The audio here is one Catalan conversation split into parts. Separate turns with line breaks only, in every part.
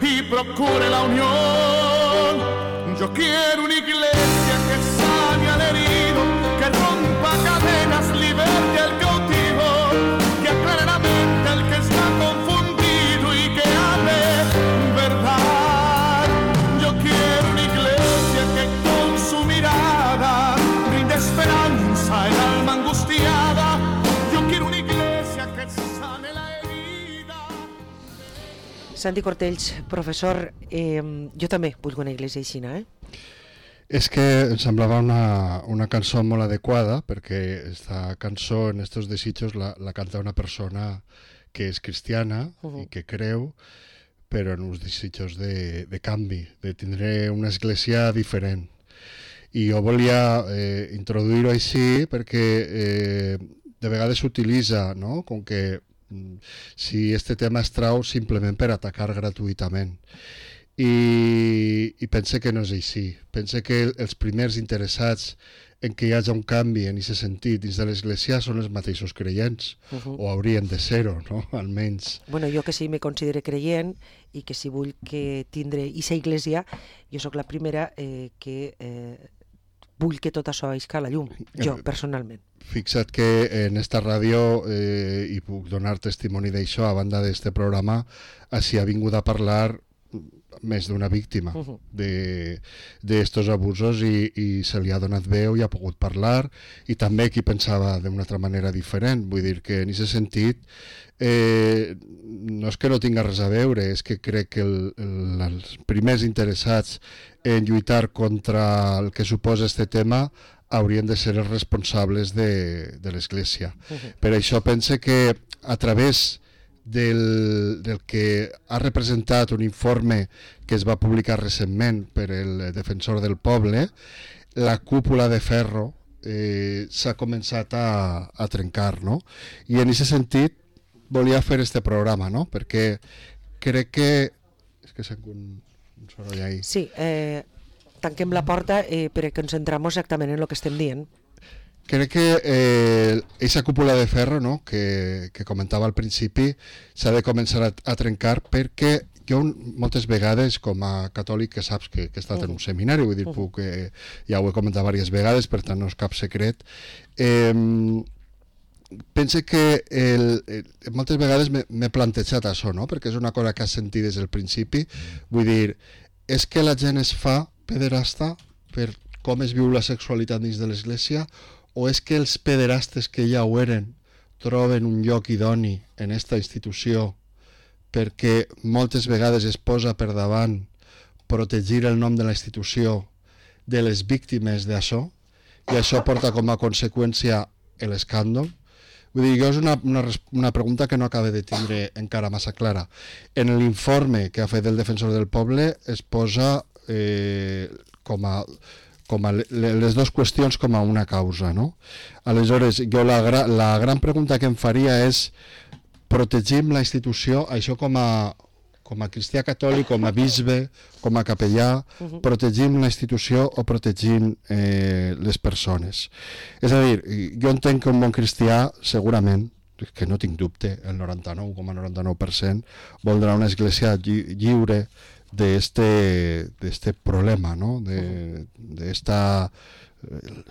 y procure la unión. Yo quiero una iglesia que sane al herido, que rompa cadenas, liberte al cautivo, que aclare la mente al que está confundido y que hable verdad. Yo quiero una iglesia que con su mirada brinde esperanza al alma angustiada. Yo quiero una iglesia que sane la herida.
Santi Cortells, professor, jo també vull una iglesia aixina,
És que em semblava una cançó molt adequada, perquè aquesta cançó, en estos desitjos, la canta una persona que és cristiana i que creu, però en uns desitjos de canvi, de tindre una església diferent. I jo volia introduir-ho així perquè de vegades s'utilitza, no? Com que si este tema es trau simplement per atacar gratuïtament. I pense que no és així. Pense que els primers interessats en que hi hagi un canvi en aquest sentit dins de l'Església són els mateixos creients, o haurien de ser-ho, no? Almenys.
Bueno, jo que sí me considero creient i que si vull que tindre aquesta Iglesia, jo sóc la primera que vull que tot això isca a la llum, jo personalment.
Fixa't que en esta ràdio, i puc donar testimoni d'això, a banda d'este programa, s'hi ha vingut a parlar més d'una víctima d'estos abusos i se li ha donat veu i ha pogut parlar, i també qui pensava d'una altra manera diferent. Vull dir que en aquest sentit no és que no tinga res a veure, és que crec que els primers interessats en lluitar contra el que suposa este tema haurien de ser els responsables de l'Església. Per això pense que a través del que ha representat un informe que es va publicar recentment per el Defensor del Poble, la cúpula de ferro s'ha començat a trencar, no? I en aquest sentit volia fer este programa, no? Perquè crec que... És que sent un soroll ahí.
Sí, tanquem la porta perquè ens centrem exactament en el que estem dient.
Crec que aquesta cúpula de ferro, no, que comentava al principi, s'ha de començar a trencar, perquè jo moltes vegades, com a catòlic, que saps que he estat en un seminari, vull dir, ja ho he comentat diverses vegades, per tant no és cap secret, pense que moltes vegades m'he plantejat això, no? Perquè és una cosa que has sentit des del principi, vull dir, és que la gent es fa pederasta per com es viu la sexualitat dins de l'Església, o és que els pederastes que ja ho eren troben un lloc idoni en aquesta institució perquè moltes vegades es posa per davant protegir el nom de la institució de les víctimes d'això, i això porta com a conseqüència l'escàndol. Vull dir, jo és una pregunta que no acaba de tindre encara massa clara. En l'informe que ha fet el Defensor del Poble es posa com a les dues qüestions com a una causa, no? Aleshores, jo la gran pregunta que em faria és: protegim la institució, això com a cristià catòlic, com a bisbe, com a capellà, protegim la institució o protegim les persones? És a dir, jo entenc que un bon cristià, segurament, que no tinc dubte, el 99,99% voldrà una església lliure de este problema, ¿no? De esta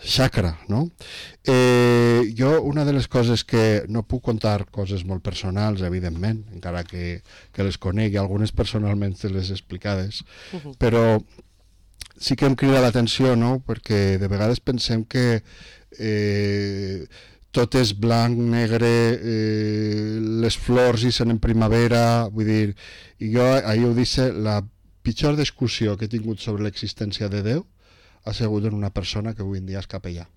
xacra, ¿no? Jo, una de les coses que no puc contar, coses molt personals, evidentment, encara que les conegui, algunes personalment les explicades, però sí que em crida l'atenció, no? Perquè de vegades pensem que tot és blanc, negre, les flors ixen en primavera, vull dir, i jo ahir ho disse, la pitjor discussió que he tingut sobre l'existència de Déu ha sigut en una persona que avui en dia és capellà.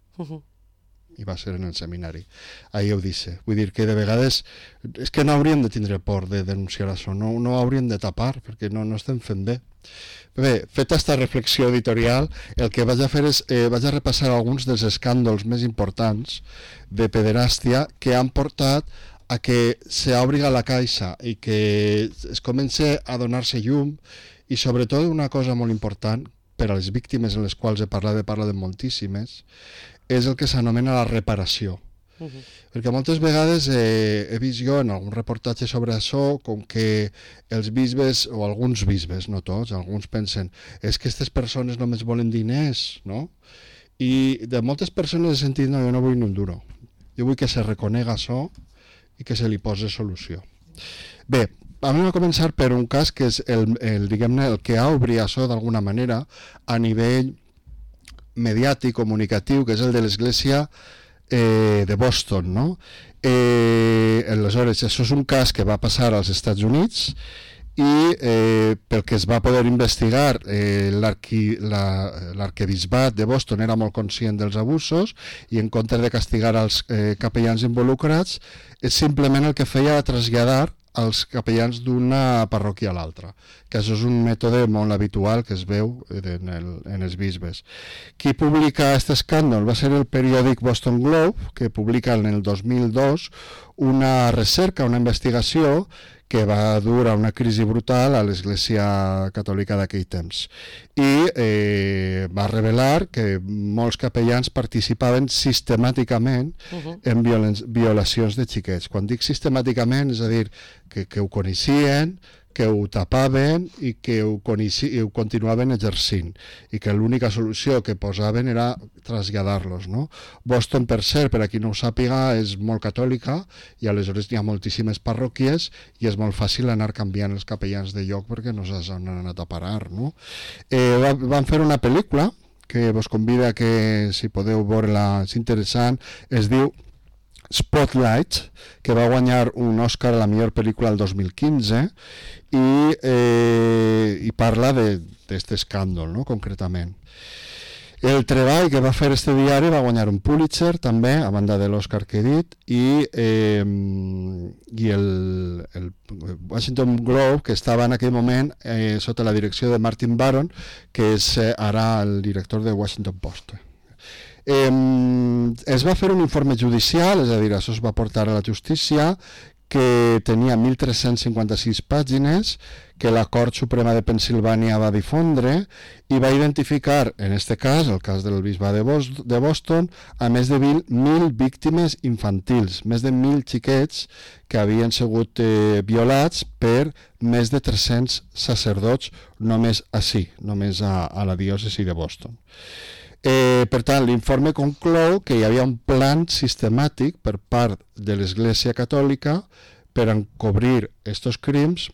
I va ser en el seminari. Ahir ho disse. Vull dir que de vegades és que no hauríem de tindre por de denunciar això, no hauríem de tapar, perquè no estem fent bé. Bé, feta aquesta reflexió editorial, el que vaig a fer és vaig a repassar alguns dels escàndols més importants de pederàstia que han portat a que s'obri la caixa i que es comença a donar-se llum, i sobretot una cosa molt important per a les víctimes en les quals he parlat de moltíssimes, és el que s'anomena la reparació. Perquè moltes vegades he vist jo en algun reportatge sobre això com que els bisbes, o alguns bisbes, no tots, alguns pensen és que aquestes persones només volen diners, no? I de moltes persones he sentit no, jo no vull ni un duro. Jo vull que se reconega això i que se li posi solució. Bé, vam a començar per un cas que és diguem-ne, el que ha obrit això d'alguna manera a nivell mediàtic, comunicatiu, que és el de l'Església de Boston, no? Aleshores, això és un cas que va passar als Estats Units i pel que es va poder investigar l'arquebisbat de Boston era molt conscient dels abusos i en comptes de castigar els capellans involucrats simplement el que feia era traslladar els capellans d'una parròquia a l'altra, que això és un mètode molt habitual que es veu en els bisbes. Qui publica aquest escàndol va ser el periòdic Boston Globe, que publica en el 2002 una recerca, una investigació que va dur a una crisi brutal a l'Església Catòlica d'aquell temps. I va revelar que molts capellans participaven sistemàticament en violacions de xiquets. Quan dic sistemàticament, és a dir, que ho coneixien, que ho tapaven i que ho continuaven exercint i que l'única solució que posaven era traslladar-los, no? Boston, per cert, per a qui no ho sàpiga, és molt catòlica i aleshores hi ha moltíssimes parròquies i és molt fàcil anar canviant els capellans de lloc perquè no saps on han anat a parar, no? Van fer una pel·lícula que vos convida que si podeu veure-la, és interessant, es diu Spotlight, que va guanyar un Oscar a la millor pel·lícula el 2015 i parla d'aquest escàndol, no? Concretament. El treball que va fer este diari va guanyar un Pulitzer també, a banda de l'Oscar que he dit, i el Washington Globe, que estava en aquell moment sota la direcció de Martin Baron, que és ara el director de Washington Post. Es va fer un informe judicial, és a dir, això es va portar a la justícia, que tenia 1.356 pàgines, que la Cort Suprema de Pennsilvània va difondre i va identificar, en aquest cas, el cas del bisbat de Boston, a més de 1.000 víctimes infantils, més de 1.000 xiquets que havien sigut violats per més de 300 sacerdots només ací, només a la diòcesi de Boston. Per tant, l'informe conclou que hi havia un plan sistemàtic per part de l'Església Catòlica per encobrir aquests crims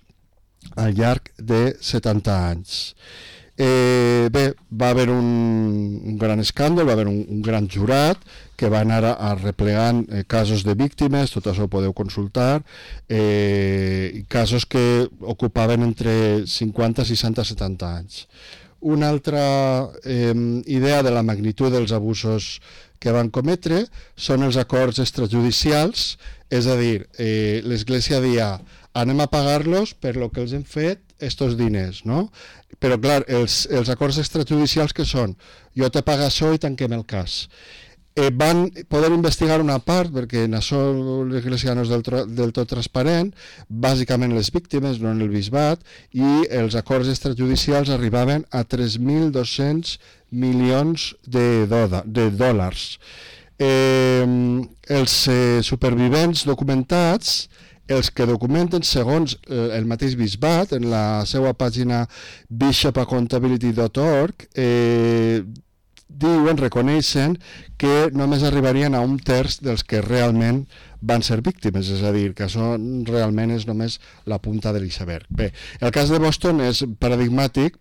al llarg de 70 anys. Bé, va haver un gran escàndol, va haver un gran jurat que va anar arreplegant casos de víctimes, tot això ho podeu consultar, casos que ocupaven entre 50, 60 i 70 anys. Una altra idea de la magnitud dels abusos que van cometre són els acords extrajudicials, és a dir, l'Església dia anem a pagar-los per lo que els hem fet estos diners, no? Però clar, els acords extrajudicials que són? Jo te pago això i tanquem el cas. Van poder investigar una part, perquè en això l'Església no és del tot transparent, bàsicament les víctimes, no en el bisbat, i els acords extrajudicials arribaven a 3.200 milions de dòlars. Els supervivents documentats, els que documenten segons el mateix bisbat, en la seva pàgina bishopaccountability.org, reconeixen que només arribarien a un terç dels que realment van ser víctimes, és a dir, que això realment és només la punta de l'iceberg. Bé, el cas de Boston és paradigmàtic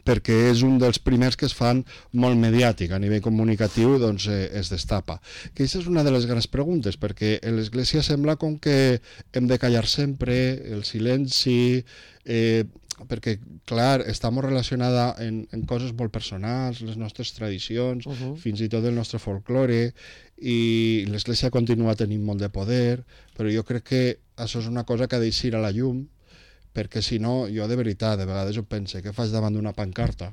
perquè és un dels primers que es fan molt mediàtic, a nivell comunicatiu doncs es destapa. Que aquesta és una de les grans preguntes, perquè a l'Església sembla com que hem de callar sempre, el silenci, perquè, clar, està molt relacionada en coses molt personals, les nostres tradicions, fins i tot el nostre folklore, i l'Església continua tenint molt de poder, però jo crec que això és una cosa que ha d'eixir a la llum, perquè si no, jo de veritat, de vegades ho penso, què faig davant d'una pancarta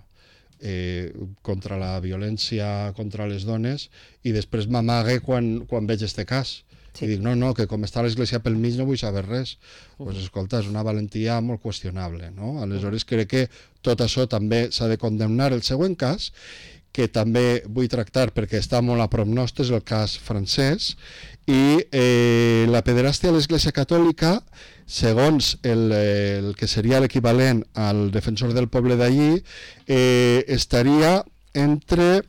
contra la violència contra les dones i després m'amague quan veig este cas. Sí. I dic, no, que com està l'Església pel mig no vull saber res. Doncs escolta, és una valentia molt qüestionable, no? Aleshores crec que tot això també s'ha de condemnar. El següent cas, que també vull tractar perquè està molt a prop nostre, és el cas francès, i la pederàstia a l'Església Catòlica, segons el que seria l'equivalent al defensor del poble d'allí, estaria entre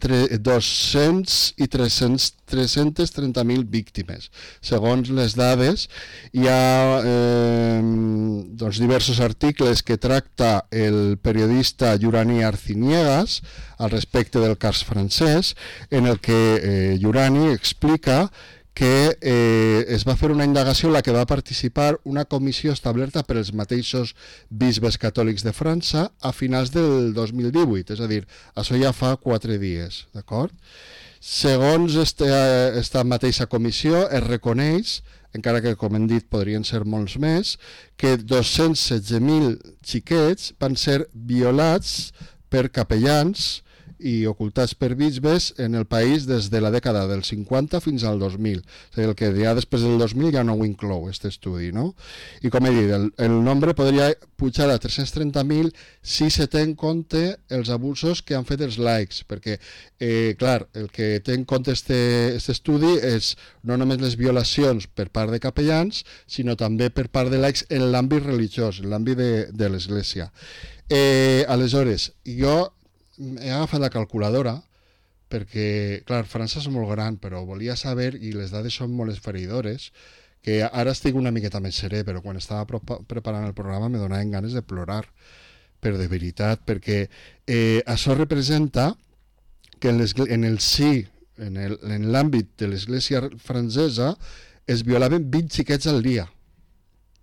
200 i 330.000 víctimes. Segons les dades, hi ha diversos articles que tracta el periodista Yurani Arciniegas al respecte del cas francès, en el que Yurani explica que es va fer una indagació en la que va participar una comissió establerta per els mateixos bisbes catòlics de França a finals del 2018, és a dir, això ja fa 4 dies, d'acord? Segons esta mateixa comissió es reconeix, encara que com hem dit podrien ser molts més, que 216.000 xiquets van ser violats per capellans i ocultats per bisbes en el país des de la dècada del 50 fins al 2000. És a dir, el que ja després del 2000 ja no ho inclou, aquest estudi, no? I com he dit, el nombre podria pujar a 330.000 si se té en compte els abusos que han fet els laics, perquè, clar, el que té en compte aquest estudi és no només les violacions per part de capellans, sinó també per part de laics en l'àmbit religiós, en l'àmbit de l'Església. Aleshores, jo he agafat la calculadora perquè, clar, França és molt gran, però volia saber, i les dades són molt esfereïdores, que ara estic una miqueta més serè, però quan estava preparant el programa me donaven ganes de plorar, però de veritat, perquè això representa que en l'àmbit de l'Església francesa es violaven 20 xiquets al dia.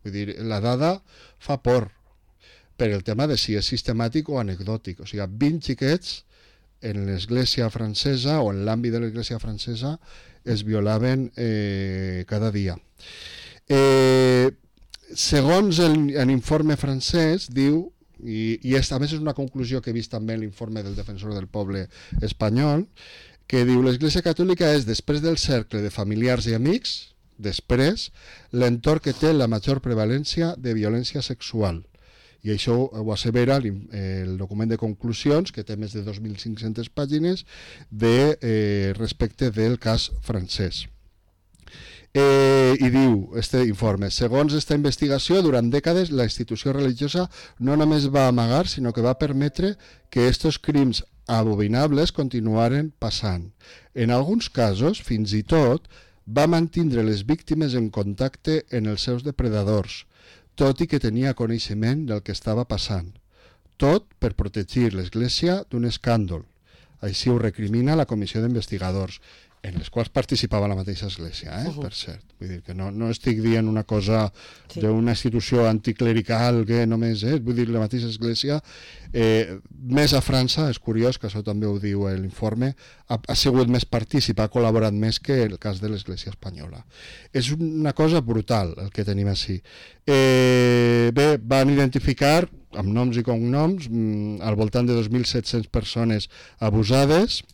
Vull dir, la dada fa por, per el tema de si és sistemàtic o anecdòtic. O sigui, 20 xiquets en l'Església francesa o en l'àmbit de l'Església francesa es violaven cada dia. Segons l'informe francès, diu, i a més és una conclusió que he vist també en l'informe del defensor del poble espanyol, que diu l'Església Catòlica és, després del cercle de familiars i amics, després, l'entorn que té la major prevalència de violència sexual. I això ho assevera el document de conclusions, que té més de 2.500 pàgines, respecte del cas francès. I diu, este informe, segons esta investigació, durant dècades la institució religiosa no només va amagar, sinó que va permetre que estos crims abominables continuaren passant. En alguns casos, fins i tot, va mantindre les víctimes en contacte en els seus depredadors, tot i que tenia coneixement del que estava passant. Tot per protegir l'Església d'un escàndol. Així ho recrimina la comissió d'investigadors, en les quals participava la mateixa Església, per cert. Vull dir que no estic dient una cosa d'una institució anticlerical que només és, vull dir, la mateixa Església, més a França, és curiós que això també ho diu l'informe, ha sigut més partícip, ha col·laborat més que el cas de l'Església espanyola. És una cosa brutal el que tenim així. Bé, van identificar amb noms i cognoms al voltant de 2.700 persones abusades.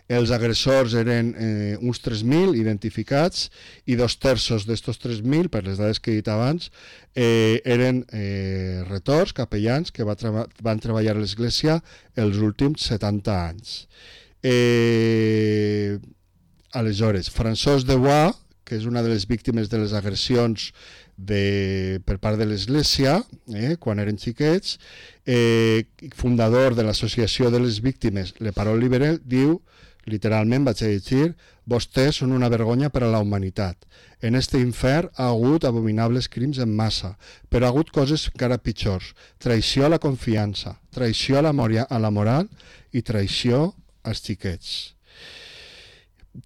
Els agressors eren uns 3.000 identificats i 2/3 d'estos 3.000, per les dades que he dit abans, eren retors, capellans, que van treballar a l'Església els últims 70 anys. Aleshores, François Devois, que és una de les víctimes de les agressions per part de l'Església, quan eren xiquets, fundador de l'Associació de les Víctimes Le Parole Libérée, diu, literalment vaig a llegir, vostès són una vergonya per a la humanitat. En este infern ha hagut abominables crims en massa, però ha hagut coses encara pitjors. Traïció a la confiança, traïció a la moral i traïció als xiquets.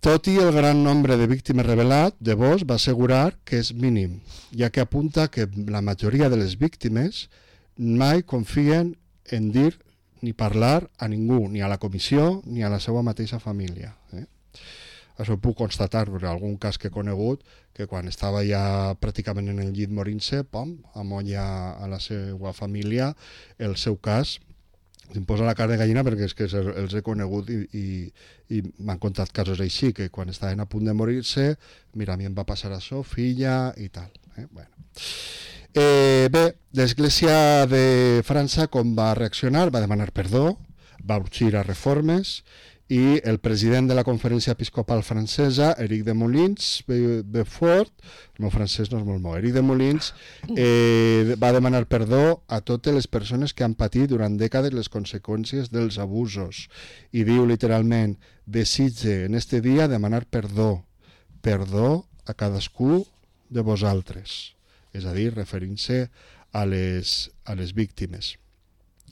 Tot i el gran nombre de víctimes revelat, Devois va assegurar que és mínim, ja que apunta que la majoria de les víctimes mai confien en dir ni parlar a ningú, ni a la comissió ni a la seva mateixa família. Això ho puc constatar per algun cas que he conegut, que quan estava ja pràcticament en el llit morint-se, amolla a la seva família el seu cas. Em posa la cara de gallina perquè és que els he conegut i m'han contat casos així, que quan estaven a punt de morir-se, mira, a mi em va passar això, filla i tal. Bueno. Bé, l'Església de França com va reaccionar? Va demanar perdó, va urgir a reformes, i el president de la Conferència Episcopal Francesa, Éric de Molins Beaufort, el meu francès no és molt bo, Éric de Molins, va demanar perdó a totes les persones que han patit durant dècades les conseqüències dels abusos, i diu literalment: desitge en este dia demanar perdó a cadascú de vosaltres, és a dir, referint-se a les víctimes.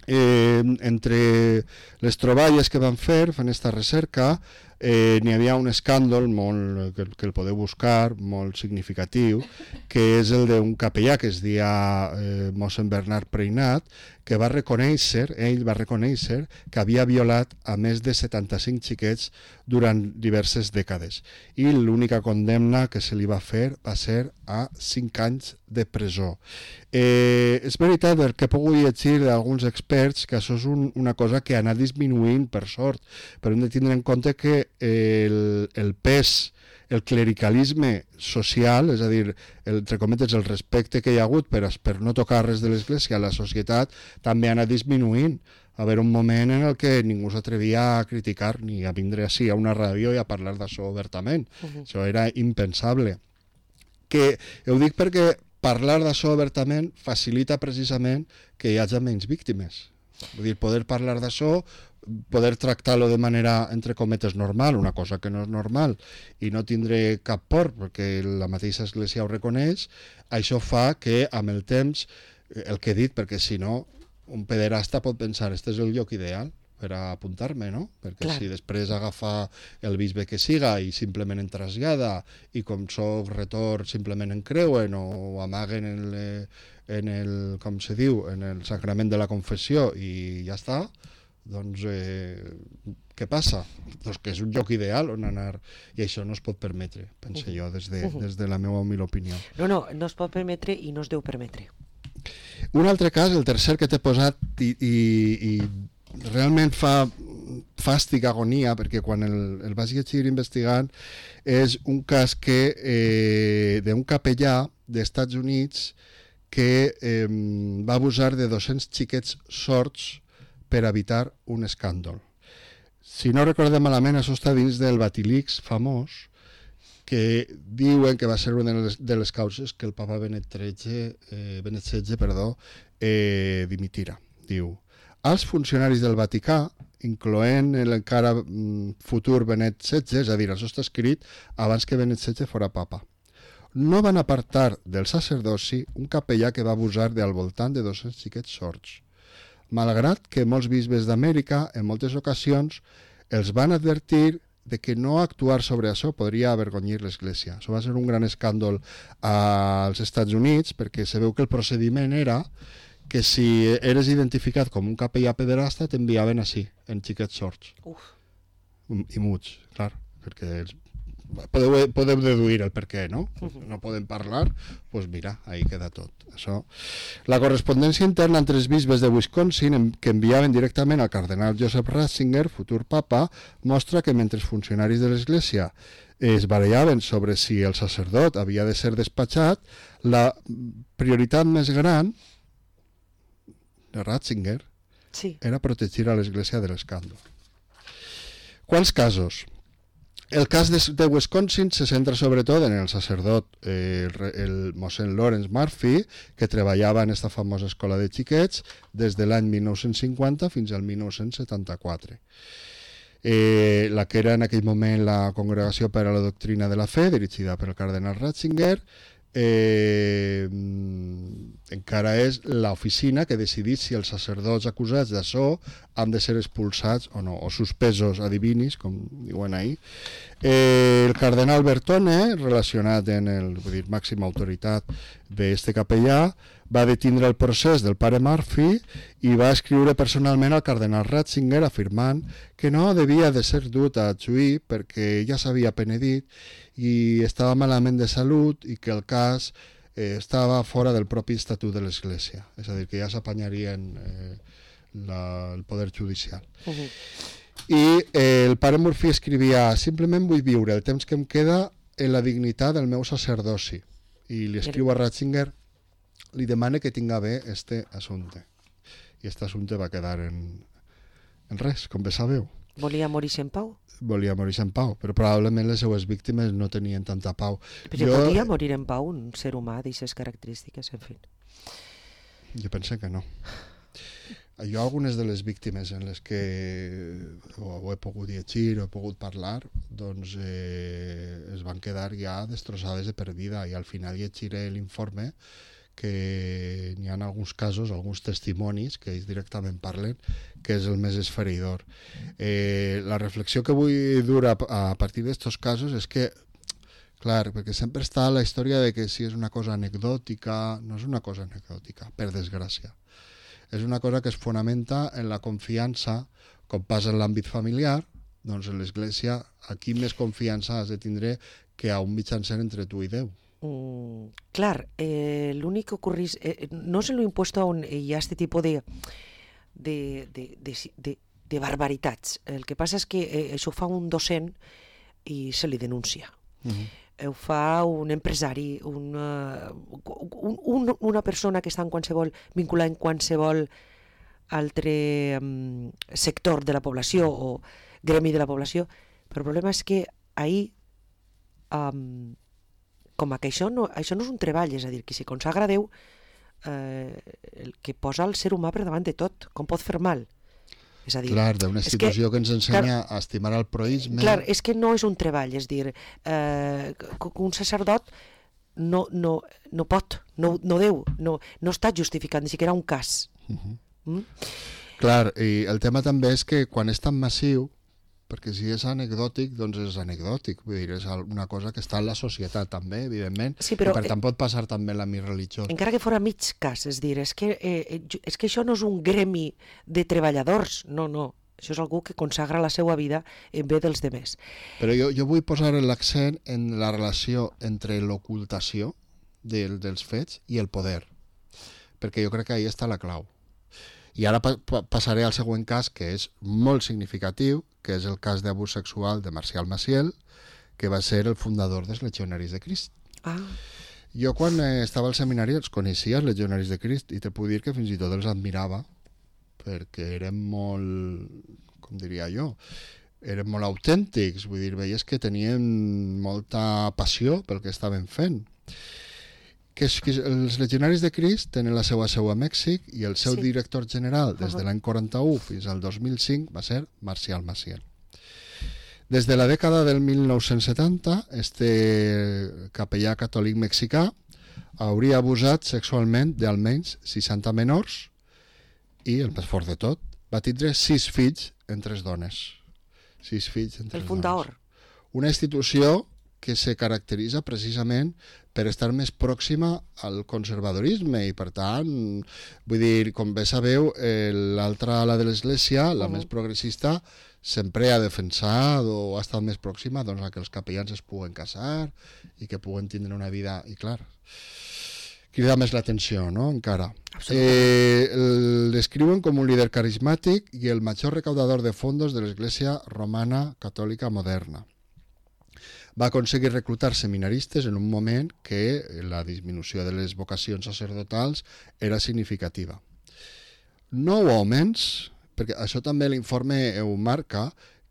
Entre les troballes que van fer fent aquesta recerca, n'hi havia un escàndol molt, que el podeu buscar, molt significatiu, que és el d'un capellà que es deia mossèn Bernat Preinat, que ell va reconèixer que havia violat a més de 75 xiquets durant diverses dècades, i l'única condemna que se li va fer va ser a 5 anys de presó. És veritat, que he pogut llegir d'alguns experts, que això és una cosa que ha anat disminuint per sort, però hem de tindre en compte que el pes, el clericalisme social, és a dir, entre cometes, el respecte que hi ha hagut per no tocar res de l'Església a la societat, també ha anat disminuint. Va haver un moment en el que ningú s'atrevia a criticar ni a vindre així a una ràdio i a parlar d'això obertament. Això era impensable. Que ho dic perquè parlar d'això obertament facilita precisament que hi hagi menys víctimes. Vull dir, poder parlar d'això, poder tractar-lo de manera, entre cometes, normal, una cosa que no és normal, i no tindre cap por, perquè la mateixa Església ho reconeix, això fa que, amb el temps, el que he dit, perquè si no, un pederasta pot pensar, este és el lloc ideal per a apuntar-me, no? Perquè si després agafa el bisbe que siga i simplement en trasllada, i com soc retor simplement en creuen o amaguen en el, com se diu, en el sacrament de la confessió i ja està, doncs què passa? Doncs que és un lloc ideal on anar, i això no es pot permetre, penso jo, des de la meva humil opinió.
No es pot permetre i no es deu permetre.
Un altre cas, el tercer que t'he posat, i realment fa fàstic, agonia, perquè quan el vaig llegir investigant, és un cas d'un capellà dels Estats Units que va abusar de 200 xiquets sords per evitar un escàndol. Si no recordem malament, això està dins del Batilix famós, que diuen que va ser una de les causes que el papa Benet XVI dimitira. Diu: als funcionaris del Vaticà, incloent l'encara futur Benet XVI, és a dir, això està escrit abans que Benet XVI fora papa, no van apartar del sacerdoci un capellà que va abusar al voltant de 200 xiquets sords, malgrat que molts bisbes d'Amèrica en moltes ocasions els van advertir de que no actuar sobre això podria avergonyir l'Església. Això va ser un gran escàndol als Estats Units, perquè se veu que el procediment era que si eres identificat com un capellà pederasta t'enviaven així, en xiquets sords. I muts, clar, perquè podeu deduir el per què, no? No podem parlar, doncs mira, ahí queda tot. Això. La correspondència interna entre els bisbes de Wisconsin, que enviaven directament al cardenal Joseph Ratzinger, futur papa, mostra que mentre els funcionaris de l'Església es barallaven sobre si el sacerdot havia de ser despatxat, la prioritat més gran de Ratzinger era protegir a l'Església de l'escàndol. Quants casos? El cas de Wisconsin se centra sobretot en el sacerdot, el mossèn Lawrence Murphy, que treballava en aquesta famosa escola de xiquets des de l'any 1950 fins al 1974. La que era en aquell moment la Congregació per a la Doctrina de la Fe, dirigida per el cardenal Ratzinger, encara és l'oficina que decidís si els sacerdots acusats d'això han de ser expulsats o no, o suspesos ad divinis, com diuen ahir. El cardenal Bertone, relacionat en el màxima autoritat d'este capellà, va detindre el procés del pare Murphy i va escriure personalment al cardenal Ratzinger afirmant que no devia de ser dut a juí perquè ja s'havia penedit i estava malament de salut i que el cas estava fora del propi estatut de l'Església, és a dir, que ja s'apanyarien el poder judicial. I el pare Murphy escrivia: simplement vull viure el temps que em queda en la dignitat del meu sacerdoci, i li escriu a Ratzinger, li demana que tinga bé este assumpte, i este assumpte va quedar en res, com bé sabeu.
Volia morir-se en pau?
Volia morir en pau, però probablement les seues víctimes no tenien tanta pau.
Però podia morir en pau un ser humà d'aquestes característiques, en fi.
Jo penso que no. Jo algunes de les víctimes en les que ho he pogut llegir o he pogut parlar, doncs es van quedar ja destrossades de per vida, i al final llegiré l'informe que n'hi ha alguns casos, alguns testimonis que ells directament parlen, que és el més esfereïdor. La reflexió que vull dur a partir d'estos casos és que, clar, perquè sempre està la història de que si és una cosa anecdòtica, no és una cosa anecdòtica, per desgràcia. És una cosa que es fonamenta en la confiança, com passa en l'àmbit familiar, doncs en l'Església, aquí més confiança has de tindre que a un mitjancer entre tu i Déu.
Clar, l'únic que ocurrís, no se lo impuesto on hi ha este tipus de barbaritats. El que passa és que això ho fa un docent i se li denuncia. Ho fa un empresari, una persona que està en qualsevol, vinculada en qualsevol altre sector de la població o gremi de la població. Però el problema és que ahir, com que això no és un treball, és a dir, que s'hi consagra a Déu, el que posa el ser humà per davant de tot, com pot fer mal. És a dir,
clar, d'una institució que ens ensenya a estimar el proïsme.
Clar, és que no és un treball, és dir, un sacerdot no pot, no deu, no està justificant ni siquiera un cas.
Clar, i el tema també és que quan és tan massiu, perquè si és anecdòtic, doncs és anecdòtic, vull dir, és una cosa que està en la societat també, evidentment, sí, però, i per tant pot passar també en l'àmbit religiós.
Encara que fora mig cas, és dir, és que això no és un gremi de treballadors, no, això és algú que consagra la seva vida en bé dels demés.
Però jo vull posar l'accent en la relació entre l'ocultació dels fets i el poder, perquè jo crec que ahí està la clau. I ara passaré al següent cas, que és molt significatiu, que és el cas d'abús sexual de Marcial Maciel, que va ser el fundador dels Legionaris de Crist. Jo quan estava al seminari els coneixia, els Legionaris de Crist, i te puc dir que fins i tot els admirava, perquè eren molt, com diria jo, eren molt autèntics, vull dir, veies que tenien molta passió pel que estaven fent. Que els Legionaris de Crist tenen la seva seu a Mèxic i el seu director general des de l'any 41 fins al 2005 va ser Marcial Maciel. Des de la dècada del 1970, este capellà catòlic mexicà hauria abusat sexualment d'almenys 60 menors i, el més fort de tot, va tindre 6 fills en 3 dones. 6 fills en 3 dones.
El fundador.
Una institució que se caracteritza precisament per estar més pròxima al conservadorisme i, per tant, vull dir, com bé sabeu, l'altra ala de l'Església, la més progressista, sempre ha defensat o ha estat més pròxima doncs, a que els capellans es puguen casar i que puguen tindre una vida, i clar, crida més l'atenció, no?, encara. El descriuen com un líder carismàtic i el major recaudador de fondos de l'Església romana catòlica moderna. Va aconseguir reclutar seminaristes en un moment que la disminució de les vocacions sacerdotals era significativa. 9 homes, perquè això també l'informe ho marca,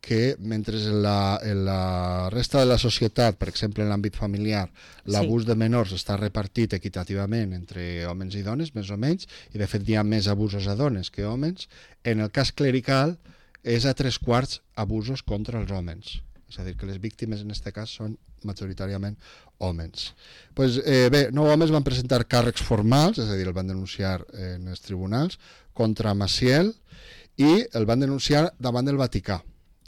que mentre en la resta de la societat, per exemple en l'àmbit familiar, l'abús de menors està repartit equitativament entre homes i dones, més o menys, i de fet hi ha més abusos a dones que homes, en el cas clerical és a 3/4 abusos contra els homes. És a dir, que les víctimes en aquest cas són majoritàriament homes. Bé, 9 homes van presentar càrrecs formals, és a dir, el van denunciar en els tribunals, contra Maciel, i el van denunciar davant del Vaticà,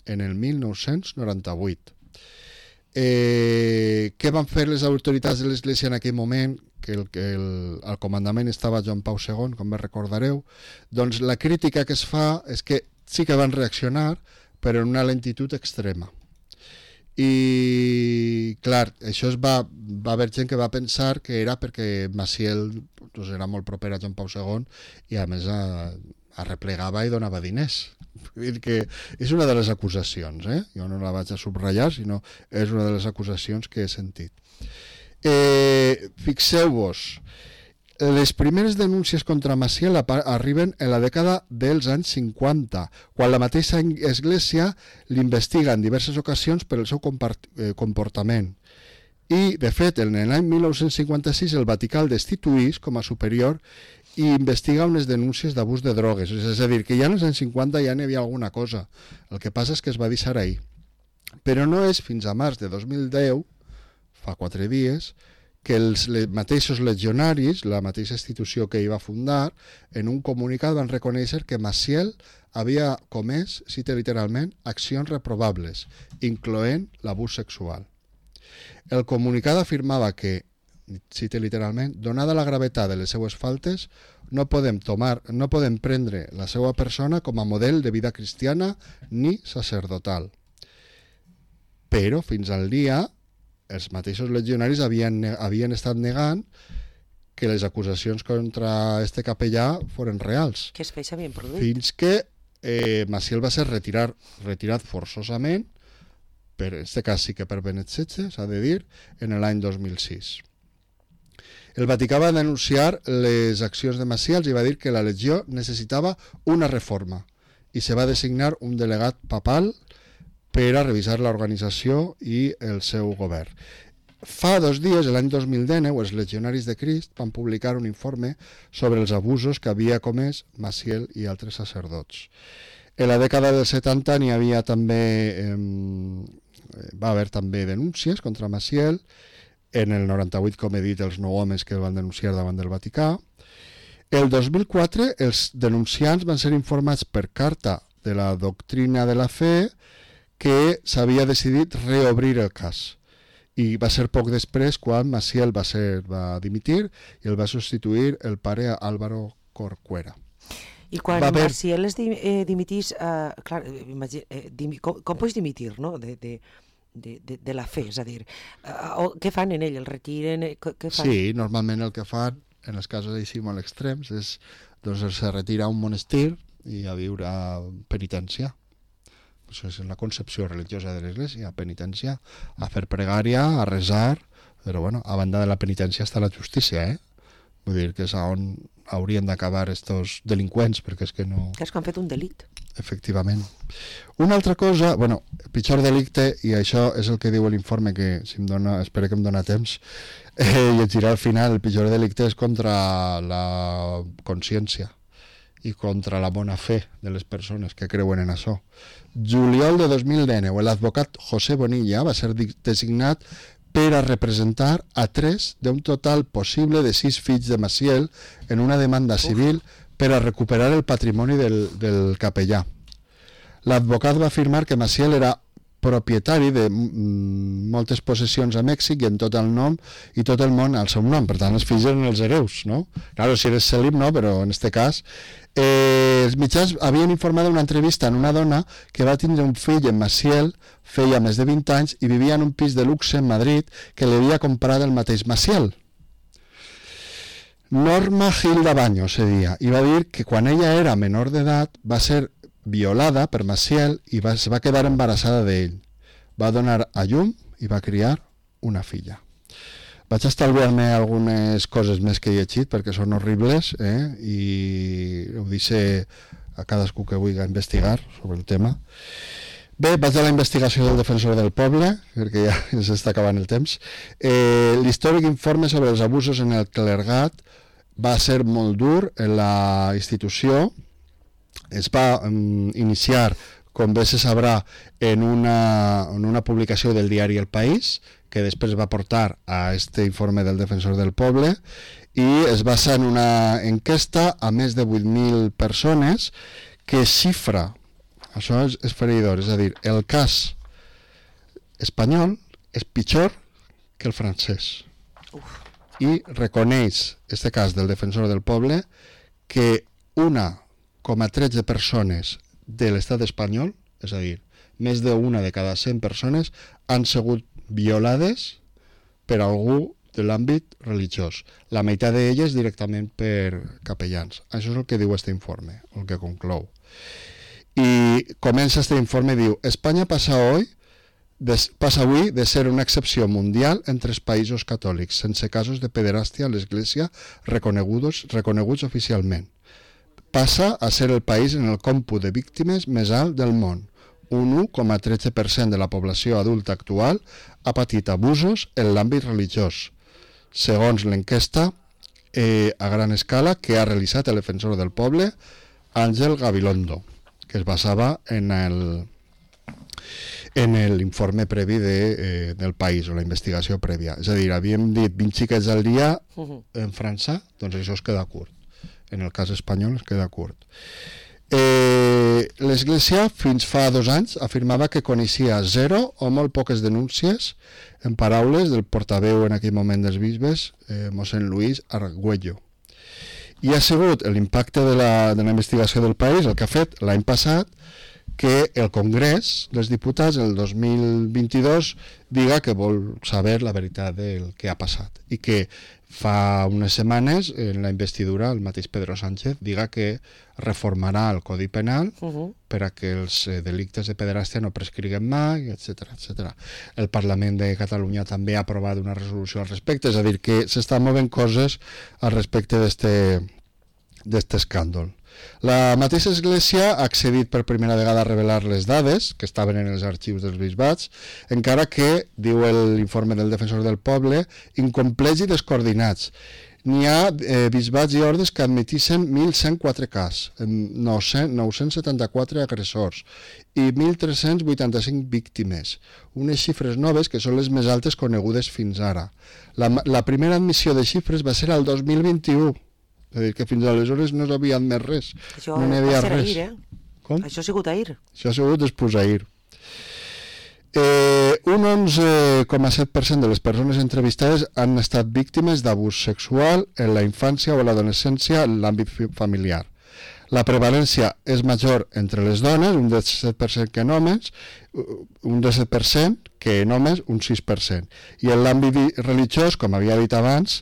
en el 1998. Què van fer les autoritats de l'Església en aquell moment, que al comandament estava Joan Pau II, com bé recordareu? Doncs la crítica que es fa és que sí que van reaccionar, però en una lentitud extrema. I, clar, això va haver gent que va pensar que era perquè Maciel doncs, era molt proper a Joan Pau II i, a més, arreplegava i donava diners. Vull dir que és una de les acusacions, jo no la vaig a subratllar, sinó és una de les acusacions que he sentit. Fixeu-vos, Les primeres denúncies contra Maciel arriben en la dècada dels anys 50, quan la mateixa Església l'investiga en diverses ocasions per el seu comportament. I, de fet, en l'any 1956 el Vaticà el destituís com a superior i investiga unes denúncies d'abús de drogues. És a dir, que ja en els anys 50 ja n'hi havia alguna cosa. El que passa és que es va deixar ahir. Però no és fins a març de 2010, fa 4 dies, que els mateixos legionaris, la mateixa institució que hi va fundar, en un comunicat van reconèixer que Maciel havia comès, cita literalment, accions reprovables, incloent l'abús sexual. El comunicat afirmava que, cita literalment, donada la gravetat de les seues faltes, no podem prendre la seva persona com a model de vida cristiana ni sacerdotal. Però, fins al dia, els mateixos legionaris havien estat negant que les acusacions contra este capellà foren reals.
Que els fets s'havien produït.
Fins que Maciel va ser retirat forçosament, per en aquest cas sí que per Benet XVI, s'ha de dir, en l'any 2006. El Vaticà va denunciar les accions de Maciel i va dir que la legió necessitava una reforma i se va designar un delegat papal per a revisar l'organització i el seu govern. Fa 2 dies, l'any 2019, els Legionaris de Crist van publicar un informe sobre els abusos que havia comès Maciel i altres sacerdots. En la dècada dels 70 n'hi havia també, va haver també denúncies contra Maciel. En el 98, com he dit, els 9 homes que el van denunciar davant del Vaticà. El 2004, els denunciants van ser informats per carta de la doctrina de la fe que s'havia decidit reobrir el cas. I va ser poc després quan Maciel va dimitir i el va substituir el pare Álvaro Corcuera.
I quan Maciel es dimitís, clar, com pots dimitir, no?, de la fe, és a dir, què fan en ell? El retiren? Què fan?
Sí, normalment el que fan, en els casos així molt extrems, és doncs se retira a un monestir i a viure a penitència. Això és la concepció religiosa de l'Església, a penitència, a fer pregària, a resar, però bueno, a banda de la penitència està la justícia, Vull dir que és on haurien d'acabar estos delinqüents, perquè és que no...
Que és que han fet un delit.
Efectivament. Una altra cosa, bueno, el pitjor delicte, i això és el que diu l'informe, que si em dona, espero que em dona temps, llegirà al final, el pitjor delicte és contra la consciència i contra la bona fe de les persones que creuen en això. Juliol de 2019, l'advocat José Bonilla va ser designat per a representar a 3 d'un total possible de 6 fills de Maciel en una demanda civil per a recuperar el patrimoni del capellà. L'advocat va afirmar que Maciel era propietari de moltes possessions a Mèxic i en tot el nom i tot el món al seu nom, per tant els fills eren els hereus, no? Claro, si eres cèlib no, però en este cas els mitjans havien informat d'una entrevista en una dona que va tindre un fill en Maciel, feia més de 20 anys i vivia en un pis de luxe en Madrid que li havia comprat el mateix Maciel. Norma Gilda Baños se deia, i va dir que quan ella era menor d'edat va ser violada per Maciel i es va quedar embarassada d'ell. Va donar a llum i va criar una filla. Vaig estalviar-me algunes coses més que he llegit perquè són horribles i ho deixo a cadascú que vulgui investigar sobre el tema. Bé, vaig a la investigació del defensor del poble, perquè ja ens està acabant el temps. L'històric informe sobre els abusos en el clergat va ser molt dur en la institució. Es va iniciar, com bé se sabrà, en una publicació del diari El País, que després va portar a este informe del defensor del poble, i es basa en una enquesta a més de 8.000 persones que xifra, això és feridor, és a dir, el cas espanyol és pitjor que el francès. I reconeix, este cas del defensor del poble, que 1,13 persones de l'estat espanyol, és a dir, més d'una de cada 100 persones, han sigut violades per algú de l'àmbit religiós. La meitat d'elles directament per capellans. Això és el que diu este informe, el que conclou. Y comença este informe, diu: España pasa hoy passa avui de ser una excepció mundial entre els països catòlics, sense casos de pederàstia a l'Església reconeguts oficialment. Passa a ser el país en el còmput de víctimes més alt del món. Un 1,13% de la població adulta actual ha patit abusos en l'àmbit religiós, segons l'enquesta a gran escala que ha realitzat el defensor del poble, Àngel Gabilondo, que es basava en l'informe previ del país o la investigació prèvia. És a dir, havíem dit 20 xiquets al dia en França, doncs això es queda curt. En el cas espanyol es queda curt. L'Església fins fa 2 anys afirmava que coneixia 0 o molt poques denúncies, en paraules del portaveu en aquell moment dels bisbes, mossèn Luis Argüello. I ha sigut l'impacte de la investigació del país el que ha fet l'any passat que el Congrés dels Diputats el 2022 diga que vol saber la veritat del que ha passat i que fa unes setmanes en la investidura el mateix Pedro Sánchez diga que reformarà el Codi Penal per a que els delictes de pederàstia no prescriguen mai, etc. El Parlament de Catalunya també ha aprovat una resolució al respecte, és a dir, que s'estan movent coses al respecte d'este escàndol. La mateixa Església ha accedit per primera vegada a revelar les dades que estaven en els arxius dels bisbats, encara que, diu l'informe del defensor del poble, incomplets i descoordinats. N'hi ha bisbats i ordes que admetissin 1.104 cas, 974 agressors i 1.385 víctimes, unes xifres noves que són les més altes conegudes fins ara. La primera admissió de xifres va ser el 2021, és a dir, que fins aleshores no s'havia admès res.
Això
no n'hi havia res.
Ahir,
Com?
Això ha sigut ahir.
Això ha sigut després ahir. Un 11,7% de les persones entrevistades han estat víctimes d'abús sexual en la infància o l'adolescència en l'àmbit familiar. La prevalència és major entre les dones, un 17% que en homes, un 17% que en homes, un 6%. I en l'àmbit religiós, com havia dit abans,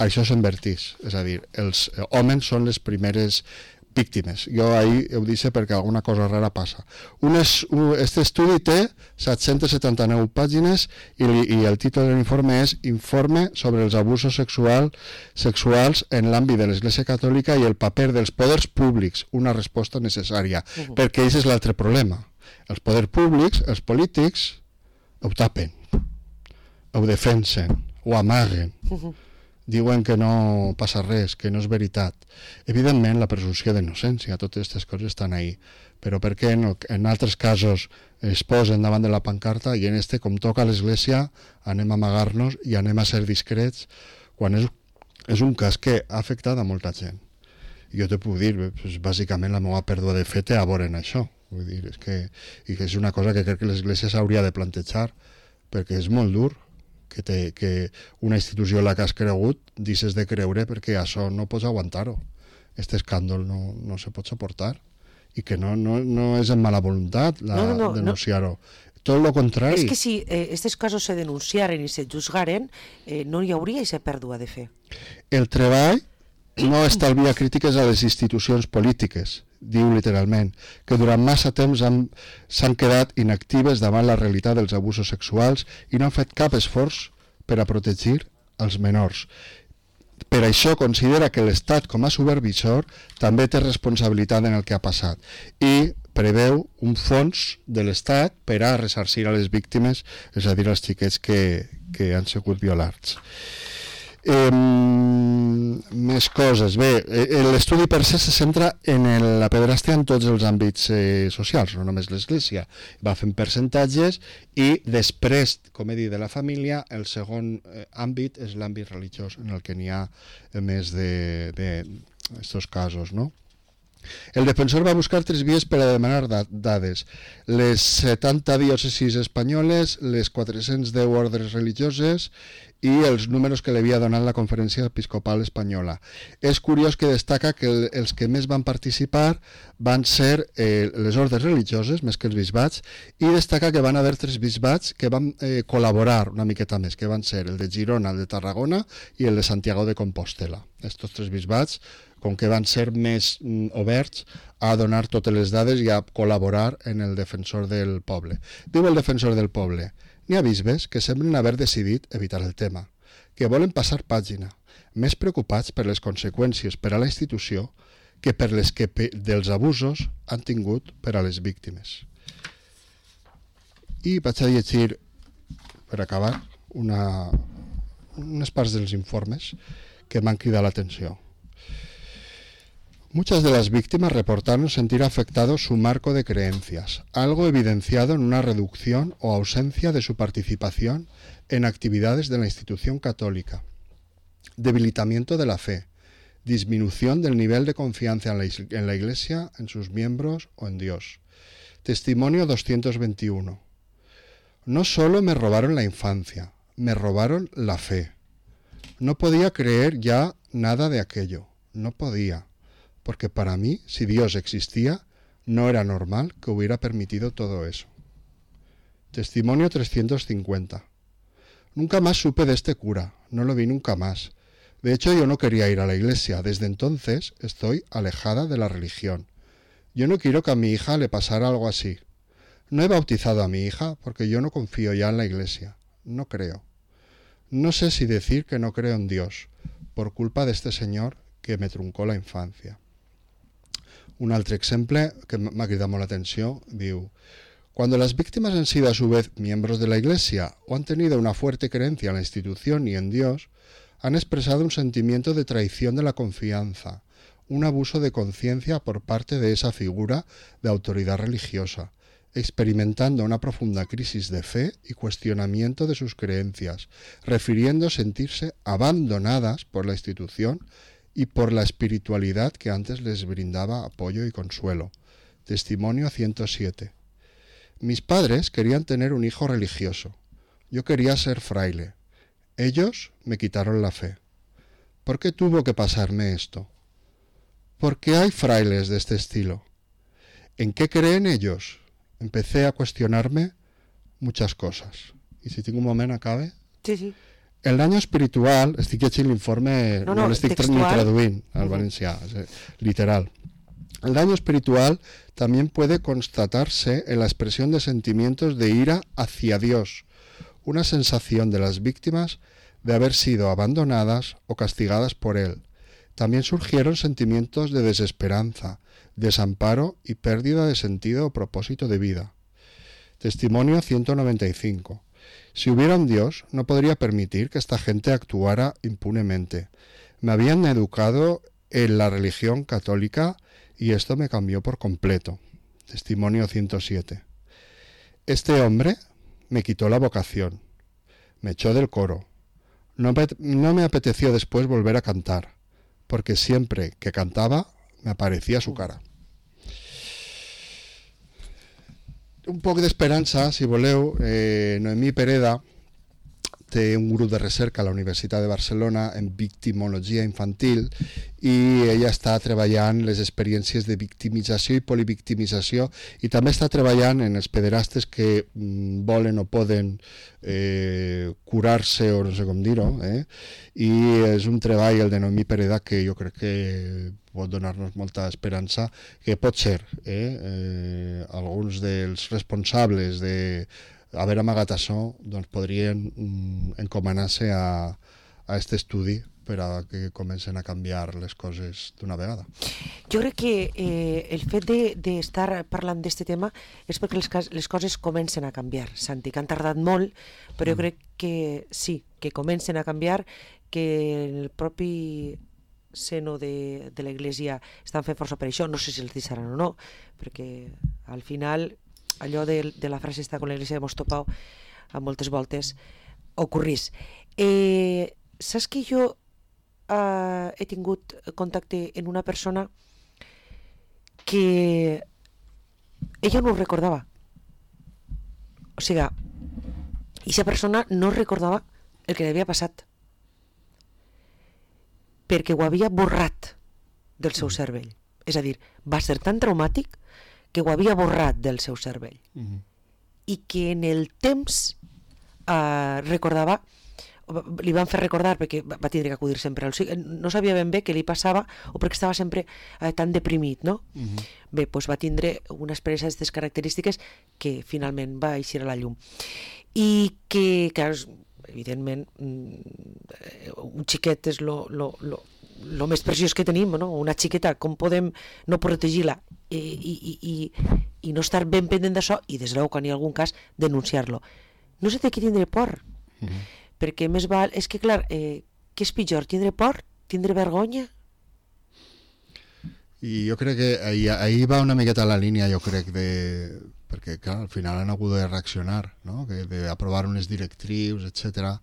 això s'invertís, és a dir, els homes són les primeres víctimes. Jo ahir ho dic perquè alguna cosa rara passa. Aquest estudi té 779 pàgines i el títol de l'informe és Informe sobre els abusos sexuals en l'àmbit de l'Església Catòlica i el paper dels poders públics, una resposta necessària, perquè aquest és l'altre problema. Els poders públics, els polítics, ho tapen, ho defensen, ho amaguen, diuen que no passa res, que no és veritat. Evidentment, la presumpció d'innocència, totes aquestes coses estan ahí, però per què en altres casos es posen davant de la pancarta i en com toca a l'Església, anem a amagar-nos i anem a ser discrets, quan és un cas que ha afectat a molta gent. Jo te puc dir, bàsicament la meva pèrdua de fe té a veure en això. Vull dir, és una cosa que crec que l'Església s'hauria de plantejar, perquè és molt dur que una institució en la que has cregut deixes de creure perquè això no pots aguantar-ho. Aquest escàndol no se pot suportar i que no és en mala voluntat denunciar-ho. Tot el contrari.
És que si aquests casos se denunciaren i se juzgaren, no hi hauria aquesta pèrdua de fe.
El treball no estalvia crítiques a les institucions polítiques, diu literalment, que durant massa temps s'han quedat inactives davant la realitat dels abusos sexuals i no han fet cap esforç per a protegir els menors. Per això considera que l'Estat, com a supervisor, també té responsabilitat en el que ha passat i preveu un fons de l'Estat per a ressarcir a les víctimes, és a dir, als xiquets que han sigut violats. Més coses. Bé, l'estudi per se centra en la pederàstia en tots els àmbits socials, no només l'Església. Va fent percentatges i després, com he dit, de la família, el segon àmbit és l'àmbit religiós, en el que n'hi ha més d'estos casos, no? El defensor va buscar 3 vies per a demanar dades: les 70 diòcesis espanyoles, les 410 ordres religioses i els números que li havia donat la Conferència Episcopal Espanyola. És curiós que destaca que els que més van participar van ser les ordes religioses, més que els bisbats, i destaca que van haver 3 bisbats que van col·laborar una miqueta més, que van ser el de Girona, el de Tarragona i el de Santiago de Compostela. Estos 3 bisbats, com que van ser més oberts a donar totes les dades i a col·laborar en el defensor del poble. Diu el defensor del poble: n'hi ha bisbes que semblen haver decidit evitar el tema, que volen passar pàgina, més preocupats per les conseqüències per a la institució que per les que dels abusos han tingut per a les víctimes. I vaig a llegir, per acabar, unes parts dels informes que m'han cridat l'atenció. Muchas de las víctimas reportaron sentir afectado su marco de creencias, algo evidenciado en una reducción o ausencia de su participación en actividades de la institución católica, debilitamiento de la fe, disminución del nivel de confianza en la Iglesia, en sus miembros o en Dios. Testimonio 221. No solo me robaron la infancia, me robaron la fe. No podía creer ya nada de aquello, no podía. Porque para mí, si Dios existía, no era normal que hubiera permitido todo eso. Testimonio 350. Nunca más supe de este cura, no lo vi nunca más. De hecho, yo no quería ir a la iglesia, desde entonces estoy alejada de la religión. Yo no quiero que a mi hija le pasara algo así. No he bautizado a mi hija porque yo no confío ya en la iglesia, no creo. No sé si decir que no creo en Dios, por culpa de este señor que me truncó la infancia. Un altre exemple que m'ha cridat molt l'atenció diu: cuando las víctimas han sido a su vez miembros de la Iglesia o han tenido una fuerte creencia en la institución y en Dios, han expresado un sentimiento de traición de la confianza, un abuso de conciencia por parte de esa figura de autoridad religiosa, experimentando una profunda crisis de fe y cuestionamiento de sus creencias, refiriendo sentirse abandonadas por la institución y por la espiritualidad que antes les brindaba apoyo y consuelo. Testimonio 107. Mis padres querían tener un hijo religioso. Yo quería ser fraile. Ellos me quitaron la fe. ¿Por qué tuvo que pasarme esto? ¿Por qué hay frailes de este estilo? ¿En qué creen ellos? Empecé a cuestionarme muchas cosas. I si tinc un moment, acabe?
Sí, sí.
El daño espiritual, estic llegint l'informe, no l'estic ni traduint al valencià, literal. El daño espiritual también puede constatarse en la expresión de sentimientos de ira hacia Dios, una sensación de las víctimas de haber sido abandonadas o castigadas por Él. También surgieron sentimientos de desesperanza, desamparo y pérdida de sentido o propósito de vida. Testimonio 195. Si hubiera un Dios, no podría permitir que esta gente actuara impunemente. Me habían educado en la religión católica y esto me cambió por completo. Testimonio 107. Este hombre me quitó la vocación, me echó del coro. No me apeteció después volver a cantar, porque siempre que cantaba me aparecía su cara. Un poc d'esperança, si voleu. Noemí Pereda té un grup de recerca a la Universitat de Barcelona en victimologia infantil i ella està treballant les experiències de victimització i polivictimització i també està treballant en els pederastes que volen o poden curar-se o no sé com dir-ho, i és un treball, el de Noemí Pereda, que jo crec que pot donar-nos molta esperança, que pot ser alguns dels responsables d'haver amagat això, doncs podrien encomanar-se a aquest estudi per a que comencen a canviar les coses d'una vegada.
Jo crec que el fet d'estar parlant d'aquest tema és perquè les coses comencen a canviar, Santi, que han tardat molt, però jo crec que sí, que comencen a canviar, que el propi seno de la Iglesia estan fent força per això, no sé si els deixaran o no, perquè al final allò de la frase està con la Iglesia hemos topado a moltes voltes ocorrís. Saps que jo he tingut contacte amb una persona que ella no ho recordava, o sigui, aquesta persona no recordava el que li havia passat, perquè ho havia borrat del seu cervell. És a dir, va ser tan traumàtic que ho havia borrat del seu cervell. I que en el temps recordava, li van fer recordar, perquè va tindre que acudir sempre al psicòleg, no sabia ben bé què li passava o perquè estava sempre tan deprimit, no? Bé, doncs va tindre una experiència d'aquestes característiques que finalment va eixir a la llum. I que, clar, evidentment, un xiquet és lo més preciós que tenim, no? Una xiqueta, com podem no protegir-la i no estar ben pendent d'això i, des de l'ou, quan hi ha algun cas, denunciar-lo. No se té que tindre por, perquè més val... És que, clar, què és pitjor, tindre por, tindre vergonya?
I jo crec que ahir va una miqueta la línia, jo crec, perquè, clar, al final han hagut de reaccionar, no? D'aprovar unes directrius, etcètera.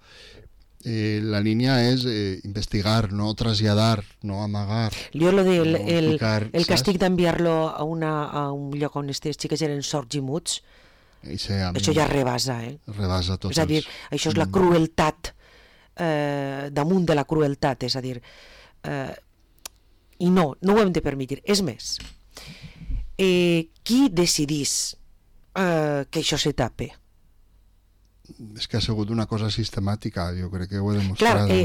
La línia és investigar, no traslladar, no amagar.
Jo lo del el càstig d'enviar-lo a un lloc on aquestes xiques eren sords i muts, això ja rebasa,
rebasa tots.
És a dir, això és la crueltat damunt de la crueltat, és a dir, i no ho hem de permetre. És més, qui decidís que això se tape?
És que ha sigut una cosa sistemàtica, jo crec que ho he demostrat.
Clar,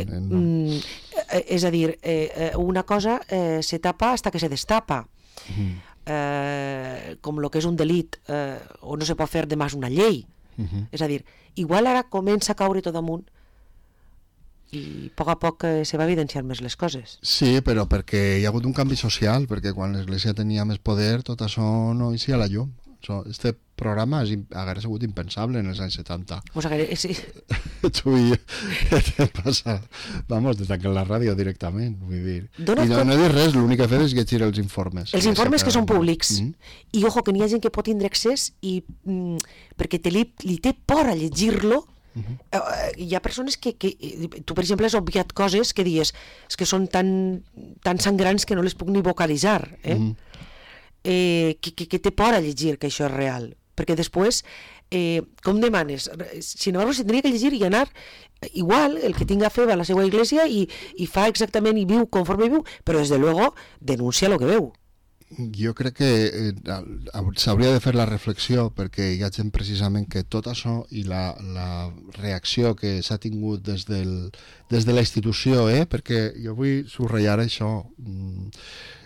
és a dir, una cosa se tapa hasta que se destapa. Com el que és un delit, o no se pot fer de més una llei. És a dir, igual ara comença a caure tot damunt i a poc se va evidenciar més les coses.
Sí, però perquè hi ha hagut un canvi social, perquè quan l'Església tenia més poder tot això no eixia a la llum. Este programa hauria sigut impensable en els anys 70.
Sí.
Tu i jo passa, vamos, de tancar la ràdio directament, vull dir. I no he dit res, l'únic que he fet és llegir els informes.
Els informes que són públics. I ojo, que n'hi ha gent que pot tindre accés i perquè li té por a llegir-lo. Hi ha persones que tu, per exemple, has obviat coses que dius que són tan sangrants que no les puc ni vocalitzar, que té por a llegir que això és real, perquè després com demanes? Sin embargo, se tenia que llegir i anar igual, el que tinga fe va a la seva església i fa exactament i viu conforme viu, però des de luego denuncia el que veu.
Jo crec que s'hauria de fer la reflexió, perquè hi ha gent precisament que tot això i la reacció que s'ha tingut des de la institució, perquè jo vull subratllar això,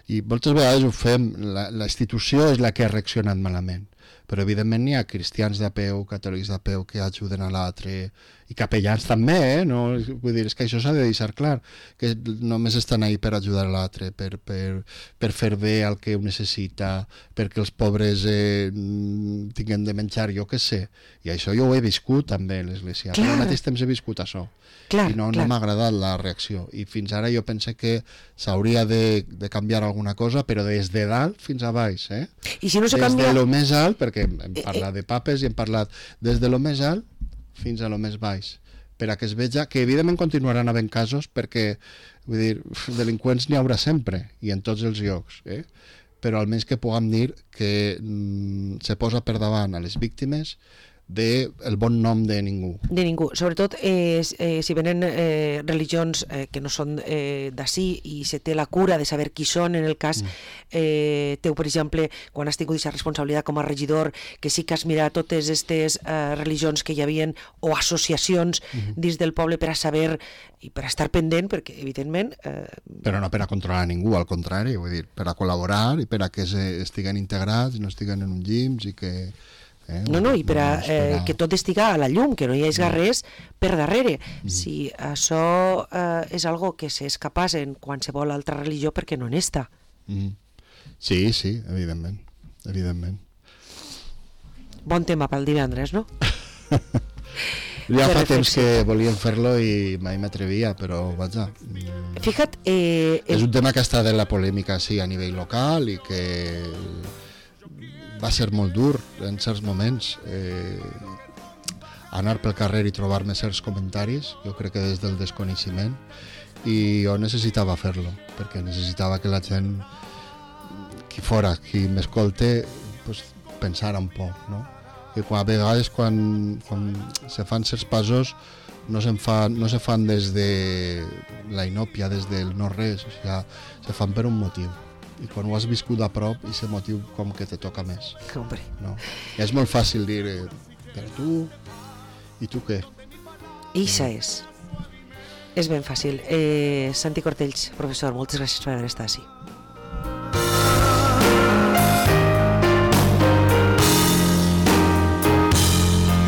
i moltes vegades ho fem, la institució és la que ha reaccionat malament, però evidentment hi ha cristians de peu, catòlics de peu que ajuden a l'altre, i capellans també, no? Vull dir, és que això s'ha de deixar clar, que només estan ahí per ajudar a l'altre, per fer bé el que ho necessita, perquè els pobres tinguin de menjar, jo què sé, i això jo ho he viscut també a l'Església, però al mateix temps he viscut això. I no m'ha agradat la reacció, i fins ara jo penso que s'hauria de canviar alguna cosa, però des de dalt fins a baix,
I si no se canvia...
des de lo més alt, perquè hem parlat de papes i hem parlat des de lo més alt fins a lo més baix, per a que es veja que evidentment continuaran havent casos, perquè vull dir, delinqüents n'hi haurà sempre i en tots els llocs, però almenys que puguem dir que se posa per davant a les víctimes del bon nom de ningú.
De ningú. Sobretot si venen religions que no són d'ací i se té la cura de saber qui són, en el cas teu, per exemple, quan has tingut aquesta responsabilitat com a regidor, que sí que has mirat totes aquestes religions que hi havia o associacions dins del poble per a saber i per a estar pendent, perquè evidentment...
Però no per a controlar ningú, al contrari, vull dir, per a col·laborar i per a que estiguen integrats, no estiguen en un llims i que...
No, i per a que tot estiga a la llum, que no hi hagi res per darrere. Si això és algo que s'és capaç en qualsevol altra religió, perquè no n'està.
Sí, evidentment.
Bon tema pel divendres, no?
Ja fa temps que volíem fer-lo i mai m'atrevia, però vaja.
Fija't...
És un tema que està de la polèmica, sí, a nivell local i que... va ser molt dur en certs moments anar pel carrer i trobar-me certs comentaris, jo crec que des del desconeixement, i jo necessitava fer-lo, perquè necessitava que la gent, qui m'escolte, pues, pensara un poc, no? que a vegades quan se fan certs passos no se fan des de la inòpia, des del no res, o sigui, se fan per un motiu. I quan ho has viscut a prop, aquest motiu com que te toca més.
Hombre.
No? I és molt fàcil dir, però tu, i tu què?
Ixa és ben fàcil. Santi Cortells, professor, moltes gràcies per haver estat així.